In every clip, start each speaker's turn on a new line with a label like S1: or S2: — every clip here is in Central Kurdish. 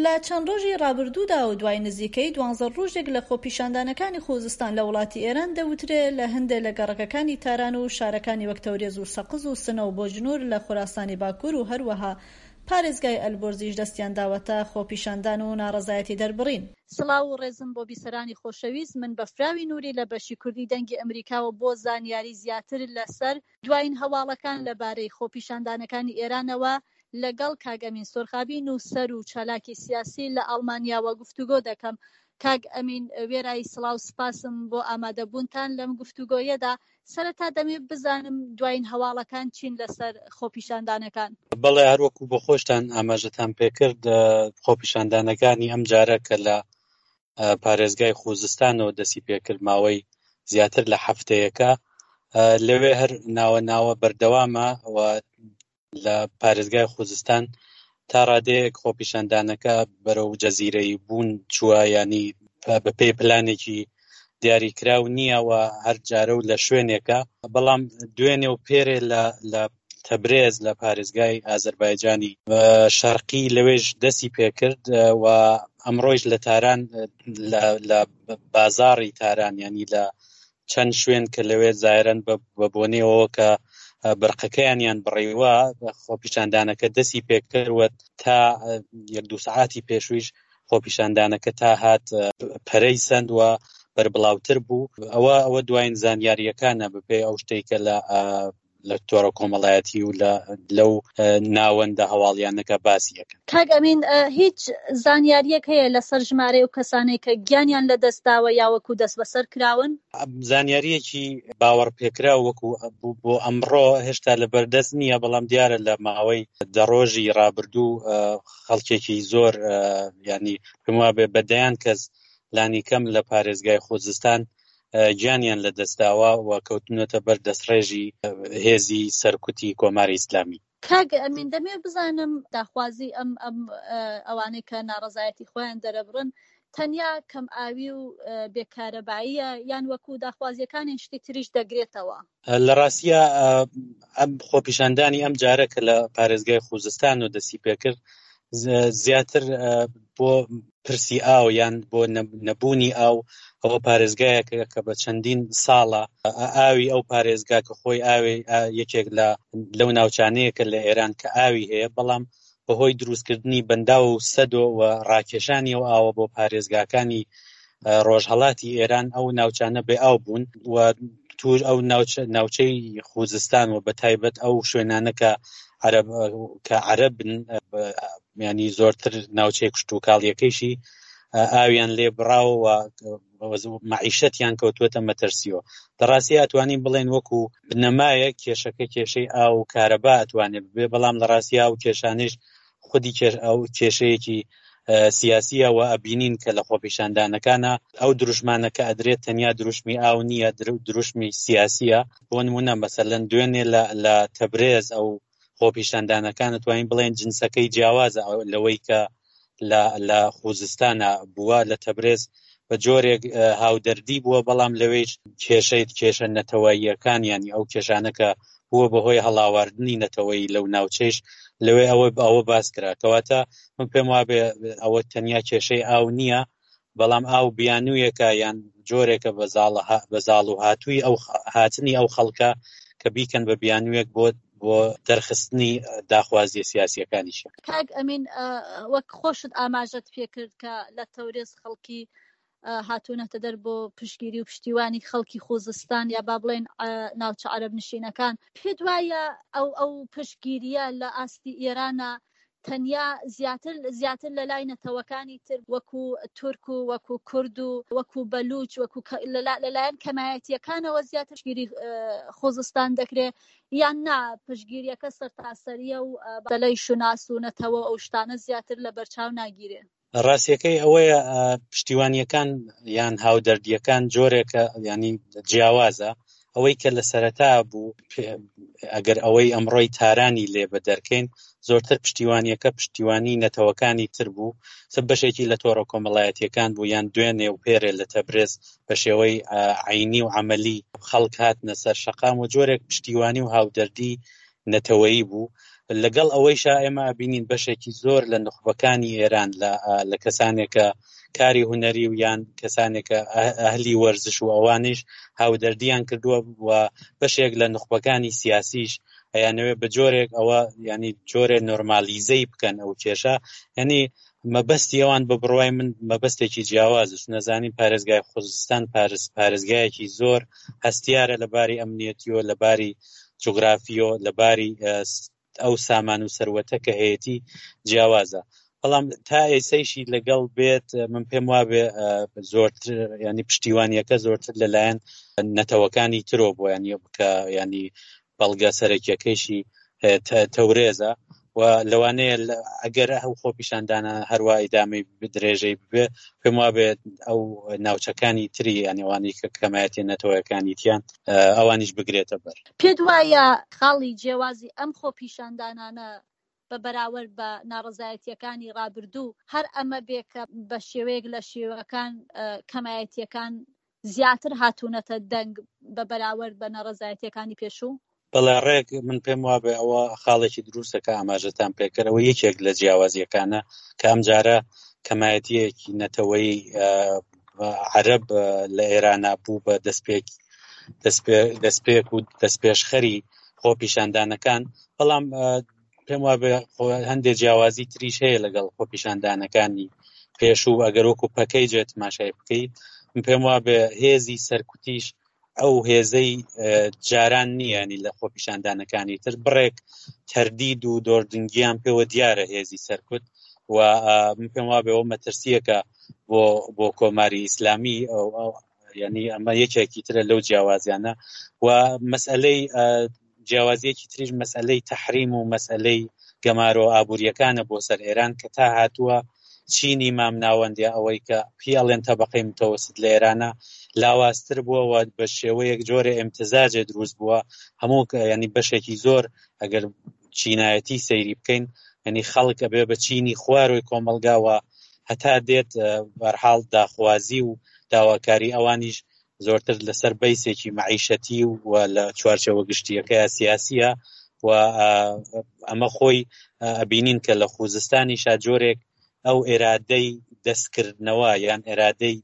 S1: لە چەند ڕۆژی ڕابردوودا و دوای نزیکەی دوانزە ڕۆژێک لە خۆپیشاندانەکانی خوزستان لە وڵاتی ئێران دەوترێ لە هەندێ لە گەڕەکەکانی تاران و شارەکانی وەک تەورێز و سەقز و سنە و بۆجنوور لە خوراسانی باکوور و هەروەها پارێزگای ئەلبۆرزیش دەستیان داوەتە خۆپیشاندان و ناڕەزایەتی دەربڕین. سڵاو و ڕێزم بۆ بیسەرانی خۆشەویست، من بەفراوی نوری لە بەشی کوردی دەنگی ئەمریکاوە بۆ زانیاری زیاتر لەسەر دواین هەواڵەکان لەبارەی خۆپیشاندانەکانی ئێرانەوە لەگەڵ کاک ئەمین سۆرخابی نووسەر و چالاکی سیاسی لە ئاڵمانیاوە گفتوگۆ دەکەم. کاک ئەمین وێرای سڵاو سپاسم بۆ ئامادەبوونتان لەم گفتوگۆیەدا. سەرەتا دەمەوێت بزانم دواین هەواڵەکان چین لەسەر خۆپیشاندانەکان؟
S2: بەڵێ هەروەکو بۆ خۆشتان ئاماژەتان پێکرد خۆپیشاندانەکانی ئەم جارە کە لە پارێزگای خوزستانەوە دەستی پێکرد ماوەی زیاتر لە هەفتەیەکە لەوێ هەر ناوە ناوە بەردەوامە و لە پارێزگای خوزستان تا ڕادەیەک خۆپیشاندانەکە بەرەو جەزیرەی بوون چووە ینی بەپێی پلانێکی دیاریکراو نییە و هەر جارە و لە شوێنێکە بەڵام دوێنێ و پێرێ لە تەبرێز لە پارێزگای ئازەربایجانی شەرقی لەوێش دەستی پێکرد و ئەمڕۆیش لە تاران لە بازاڕی تاران ینی لە چەند شوێن کە لەوێ زایرن بە بۆنەیەوە کە برقەکەیانیان بڕیوە خۆپیشاندانەکە دەستی پێکردوە تا یەک دوو سعاتی پێشویش خۆپیشاندانەکە تا هات پەرەی سند و بەربڵاوتر بوو ئەوە ئەوە دوایین زانیاریەکانە بەپێی ئەو شتێک کە لە لە تۆڕە کۆمەڵایەتی و لە لەو ناوەندە هەواڵیانەکە باسی ئەکەن.
S1: کاک ئەمین هیچ زانیاریەک هەیە لەسەر ژمارەی ئەو کەسانەی کە گیانیان لەدەست داوە یا وەکو دەستبەسەر کراون؟
S2: زانیاریەکی باوەڕپێکراو وەکو بۆ ئەمڕۆ هێشتا لەبەردەست نییە، بەڵام دیارە لە ماوەی دە ڕۆژی ڕابردوو خەڵکێکی زۆر یانی پێم وابێ بە دەیان کەس لانیکەم لە پارێزگای خوزستان گیانیان لەدەستداوە و کەوتونەتە بەر دەستڕێژی هێزی سەرکوتی کۆماری ئیسلامی.
S1: کاک ئەمین دەمەوێت بزانم داخوازی ئەم ئەم ئەوانەی کە ناڕەزایەتی خۆیان دەرەبڕن تەنیا کەم ئاوی و بێکارەباییە یان وەکو داخوازیەکانی شتی تریش دەگرێتەوە؟
S2: لە ڕاستیا ئەم خۆپیشاندانی ئەم جارە کە لە پارێزگای خوزستان و دەستی پێکرد زیاتر بۆ پرسی ئاو یان بۆ نەبوونی ئاو ئەوە پارێزگایەکە کە بە چەندین ساڵە ئاوی ئەو پارێزگا کە خۆی ئاوی یەکێک لە لەو ناوچانەیە کە لە ئێران کە ئاوی هەیە بەڵام بەهۆی دروستکردنی بەنداو و سەدۆ و ڕاکێشانی ئەو ئاوە بۆ پارێزگاکانی ڕۆژهەڵاتی ئێران ئەو ناوچانە بێ ئاو بوون و توش ئەو ناوچەی خوزستان و بە تایبەت ئەو شوێنانە کە عەرەب کە عەرەبن ینی زۆرتر ناوچەی کشتوکاڵیەکەیشی ئاویان لێ بڕاوە و مەعیشەتیان کەوتووەتە مەترسیەوە لە ڕاستی ئەتوانین بڵێن وەکو بنەمایە کێشەکە کێشەی ئاو و کارەبا ئەتوانێت بێ بەڵام لە ڕاستی ئاو کێشانیش خودی کێش ئەو کێشەیەکی سیاسیە و ئەبینین کە لە خۆپیشاندانەکانە ئەو دروشمانە کە ئەدرێت تەنیا دروشمی ئاو نییە دروشمی سیاسیە بۆ نمونە مەسەلەن دوێنێ لە تەبرێز ئەو خۆپیشاندانەکان ئەتوانین بڵێن جنسەکەی جیاوازە لەوەی کە لە لە خوزستانە بووە لە تەبرێز بە جۆرێک هاودەردی بووە بەڵام لەوەیش کێشەیت کێشە نەتەوەییەکان ینی ئەو کێشانە کە بووە بەهۆی هەڵاواردنی نەتەوەیی لەو ناوچەیش لەوێ ئەوە ئەوە باس کرا کەواتە من پێم وابێ ئەوە تەنیا کێشەی ئاو نییە بەڵام ئاو بیانوویەکە یان جۆرێکە بە زاڵ بە زاڵ و هاتووی ئەو هاتنی ئەو خەڵکە کە بیکەن بە بیانوویەک بۆ بۆ دەرخستنی داخوازیە سیاسیەکانیشیان.
S1: کاک ئەمین وەک خۆشت ئاماژەت پێکرد کە لە تەورێز خەڵکی هاتوونەتە دەر بۆ پشتگیری و پشتیوانی خەڵکی خوزستان یا با بڵێن ناوچە عەرەب نشینەکان پێت وایە ئەو ئەو پشتگیریە لە ئاستی ئێرانە تەنیا زیاتر زیاتر لە لای نەتەوەکانی تر وەکو تورک و وەکو کورد و وەکو بەلوچ وەکو لەلایەن کەمایەتیەکانەوە زیاتر پشتگیری خوزستان دەکرێ یان نا پشتگیریەکە سەرتاسەریە و بەلای شوناس و نەتەوە ئەو شتانە زیاتر لە بەرچاو ناگیرێ؟
S2: ڕاستیەکەی ئەوەیە پشتیوانیەکان یان هاودەردیەکان جۆرێکە ینی جیاوازە ئەوەی کە لە سەرەتا بوو ئەگەر ئەوەی ئەمڕۆی تارانی لێ بە دەرکەین زۆرتر پشتیوانیەکە پشتیوانی نەتەوەکانی تر بوو سە بەشێکی لە تۆڕە کۆمەڵایەتیەکان بوو یان دوێنێ و پێرێ لە تەبرێز بە شێوەی عینی و عملی خەڵک هاتنە سەر شەقام و جۆرێک پشتیوانی و هاودەردی نەتەوەیی بوو. لەگەڵ ئەوەیشا ئێمە ئەبینین بەشێکی زۆر لە نوخبەکانی ئێران لە کەسانێکە کاری هونەری و یان کەسانێکە ئەهلی وەرزش و ئەوانیش هاودەردیان کردووە و بەشێک لە نوخبەکانی سیاسیش ئەیانەوێ بە جۆرێک ئەوە ینی جۆرێ نۆرمالیزەی بکەن ئەو کێشە ینی مەبەستی ئەوان بە بڕوای من مەبەستێکی جیاوازە چونە زانین پارێزگای خوزستان پارس پارێزگایەکی زۆر هەستیارە لە باری ئەمنیەتیەوە لە باری جوگرافیەوە لە باری ئەو سامان و سەروەتە کە هەیەی جیاوازە بەڵام تا ئێسەیشی لەگەڵ بێت من پێم وابێ زۆرتر ینی پشتیوانیەکە زۆرتر لەلایەن نەتەوەکانی ترۆ بۆ ینی بکە ینی بەڵگە سەرەکیەکەیشی تەورێزە و لەوانەیە ئەگەر ئەو خۆپیشاندانە هەروە ئیدامەی درێژەی ببێ پێم وابێت ئەو ناوچەکانی تری یانەوانی کە کەمایەتی نەتەوەکانی تیان ئەوانیش بگرێتە بەر.
S1: پێت وایە خاڵی جیاوازی ئەم خۆپیشاندانانە بە بەراوەرد بە ناڕەزایەتییەکانی ڕابردوو هەر ئەمە بێ کە بە شێوەیەک لە شێوەکان کەمایەتییەکان زیاتر هاتوونەتە دەنگ بە بەراوەرد بە ناڕەزایەتییەکانی پێشوو؟
S2: بەڵێ ڕێک من پێم وابێ ئەوە خاڵێکی دروستە کە ئاماژەتان پێکرد ئەوە یەکێک لە جیاوازییەکانە کە ئەمجارە کەمایەتییەکی نەتەوەیی عەرەب لە ئێرانا بوو بە دەستپێک دەستپێک و دەستپێشخەری خۆپیشاندانەکان بەڵام پێم وابێ هەندێک جیاوازی تریش هەیە لەگەڵ خۆپیشاندانەکانی پێشوو ئەگەر وەکو پەکەی جێ تماشای بکەیت من پێم وابێ هێزی سەرکوتیش ئەو هێزەی جاران نییە ینی لە خۆپیشاندانەکانی تر بڕێک تەردید و دۆردنگیان پێوە دیارە هێزی سەرکوت و من پێم وابێ ئەو مەترسیەکە بۆ بۆ کۆماری ئیسلامی ینی ئەمە یەکێکی ترە لەو جیاوازیانە و مەسئلەی جیاوازیەکی تریش مەسئلەی تەحریم و مەسئلەی گەمارۆ ئابووریەکانە بۆ سەر ئێران کە تا هاتووە چینی مامناوەند یا ئەوەی کە پێی ئەڵێن تەبەقەی متەوەست لە ئێرانە لاوازتر بووە و بە شێوەیەک جۆرە ئێمتزاجێ دروست بووە هەموو ینی بەشێکی زۆر ئەگەر چینایەتی سەیری بکەین ینی خەڵک ئەبێ بە چینی خوارۆی کۆمەڵگاوە هەتا دێت بەرحاڵ داخوازی و داواکاری ئەوانیش زۆرتر لەسەر بەیسێکی مەعیشەتی و لە چوارچێوە گشتیەکەیا سیاسیە و ئەمە خۆی ئەبینین کە لە خوزستانیشا جۆرێک ئەو ئێرادەی دەستکردنەوە یان ئێرادەی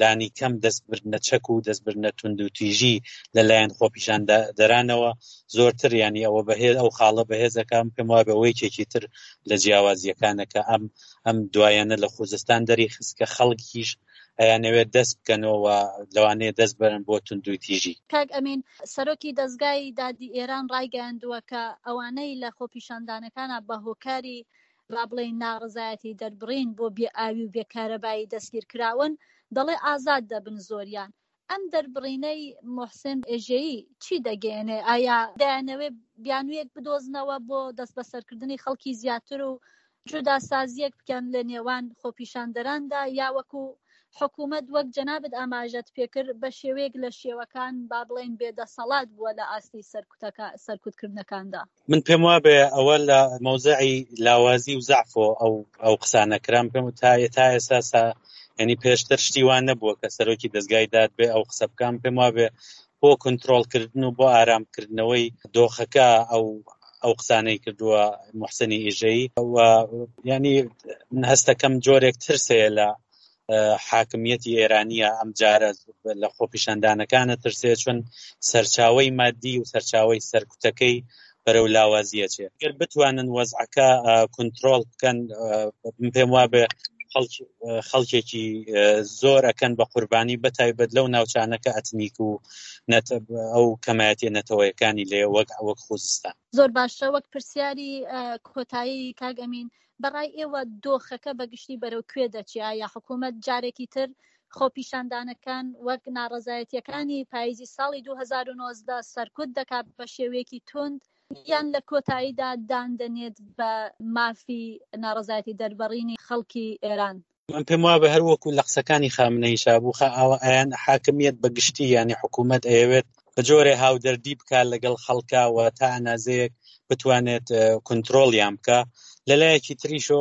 S2: لانی کەم دەستبردنە چەک و دەستبردنە توندوتیژی لەلایەن خۆپیشاندەرانەوە زۆرتر ینی ئەوە بەهێز ئەو خاڵە بەهێزەکەم پێم وابێ ئەوە یەکێکی تر لە جیاوازیەکانە کە ئەم ئەم دوایانە لە خوزستان دەری خست کە خەڵکیش ئەیانەوێت دەست بکەنەوە و لەوانەیە دەست بەرن بۆ توندوتیژی.
S1: کاک ئەمین، سەرۆکی دەزگای دادی ئێران ڕایگەیاندووە کە ئەوانەی لە خۆپیشاندانەکانا بە هۆکاری با بڵێین ناڕەزایەتی دەربڕین بۆ بێ ئاوی و بێ کارەبایی دەستگیر کراون، دەڵێ ئازاد دەبن زۆریان. ئەم دەربڕینەی موحسێن ئێژەیی چی دەگەیەنێ؟ ئایا دەیانەوێ بیانوویەک بدۆزنەوە بۆ دەستبەسەرکردنی خەڵکی زیاتر و جوداسازییەک بکەن لە نێوان خۆپیشاندەراندا یا وەکو حکوومەت وەک جەنابت ئاماژەت پێکرد بە شێوەیەک لە شێوەکان با بڵێین بێدەسەڵات بووە لە ئاستی سەرکوتەکە سەرکوتکردنەکاندا؟
S2: من پێم وابێ ئەوە لە مەوزعی لاوازی و زەعفۆ ئەو ئەو قسانە کران پێم تا تا ئێستا سا یعنی پێشتر شتی وان نەبووە کە سەرۆکی دەزگای داد بێ ئەو قسە بکەم پێم وابێ بۆ کنترۆڵکردن و بۆ ئارامکردنەوەی دۆخەکە ئەو ئەو قسانەی کردووە محسنی ئیژەیی و ینی من هەستەکەم جۆرێک ترسەیە لە حاکمیەتی ئێرانیە ئەم جارە لە خۆپیشاندانەکانە ترسێ چون سەرچاوەی مادی و سەرچاوەی سەرکوتەکەی بەرەو لاوازیە چێ گەر بتوانن وەزعەکە کنترۆڵ بکەن من پێم وابێ خەڵکێکی زۆر ئەکەن بە قوربانی بە تایبەت لەو ناوچانە کە ئەتنیک و ئەو کەمایەتیە نەتەوەیەکانی لێ وەک وەک خوزستان.
S1: زۆر باشە وەک پرسیاری کۆتایی کاک ئەمین بەڕای ئێوە دۆخەکە بە گشتی بەرەو کوێ دەچێ؟ ئایا حکوومەت جارێکی تر خۆپیشاندانەکان وەک ناڕەزایەتییەکانی پاییزی ساڵی 2019 سەرکوت دەکات بە شێوەیەکی توند یان لە کۆتاییدا دان دەنێت بە مافی ناڕەزایەتی دەربڕینی خەڵکی ئێران؟
S2: من پێم وابێ هەر وەکو لە قسەکانی خامنەییشا بوو خا ئاوا ئەیان حاکمیەت بە گشتی یانی حکوومەت ئەیەوێت بە جۆرێ هاودەردی بکا لەگەڵ خەڵکا و تا ئەنازەیەک بتوانێت کونترۆڵیان بکا لەلایەکی تریشۆ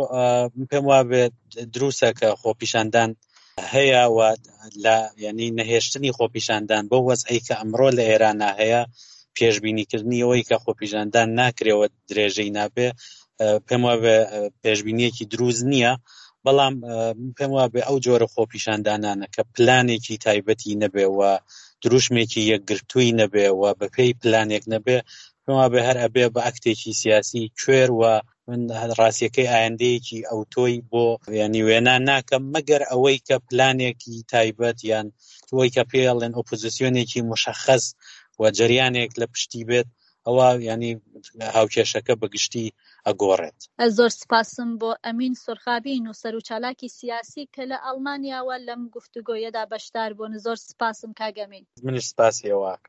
S2: من پێم وابێت دروستە کە خۆپیشاندان هەیە و لە یعنی نەهێشتنی خۆپیشاندان بۆ وەزعی کە ئەمڕۆ لە ئێرانە هەیە. پێشبینیکردنی ئەوەی کە خۆپیشاندان ناکرێەوە درێژەی نابێ پێم وابێ پێشبینیەکی دروست نییە بەڵام پێم وابێ ئەو جۆرە خۆپیشاندانانە کە پلانێکی تایبەتی نەبێ و دروشمێکی یەکگرتووی نەبێ و بەپێی پلانێک نەبێ پێم وابێ هەر ئەبێ بە ئەکتێکی سیاسی کوێر و من ڕاستیەکەی ئایندەیەکی ئەوتۆی بۆ ینی وێنا ناکەم مەگەر ئەوەی کە پلانێکی تایبەت یان ئەوەی کە پێڵێن ئۆپۆزیسیۆنێکی مشخص و جریانێک لە پشتی بێت ئەوە ینی هاوکێشەکە بە گشتی ئەگۆڕێت.
S1: زۆر سپاسم بۆ ئەمین سورخابی نووسەر و چالاکی سیاسی کە لە ئەڵمانیاوە لەم گفتوگۆیەدا بەشدار بوون. زۆر سپاسم کاک ئەمین.
S2: منیش سپاسی ئێوە ئەکەم.